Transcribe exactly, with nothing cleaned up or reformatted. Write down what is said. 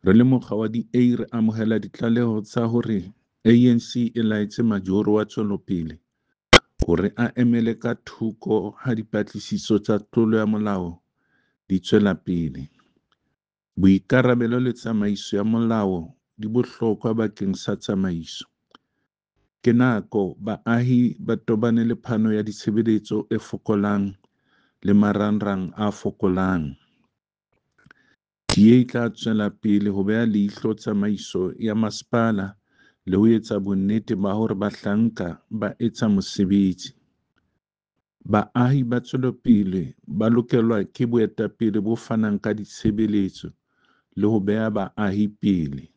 Re le mokga wa D A re amohela ditlaleho tsa hore A N C e laetse majoro wa tswelopele hore a emele ka thoko ha dipatlisiso tsa tlolo ya molao di tswela pele. Boikarabelo le tsamaiso ya molao di bohlokwa bakeng sa tsamaiso. Ke nako baahi ba tobane le phano ya ditshebeletso e fokolang le marangrang a fokolang. D A e tla tswela pele ho beha leihlo tsamaiso ya masepala le ho etsa bonnete ba hore bahlanka ba etsa mosebetsi. Baahi ba tswelopele ba lokelwa ke boetapele bo fanang ka ditshebeletso le ho beha baahi pele.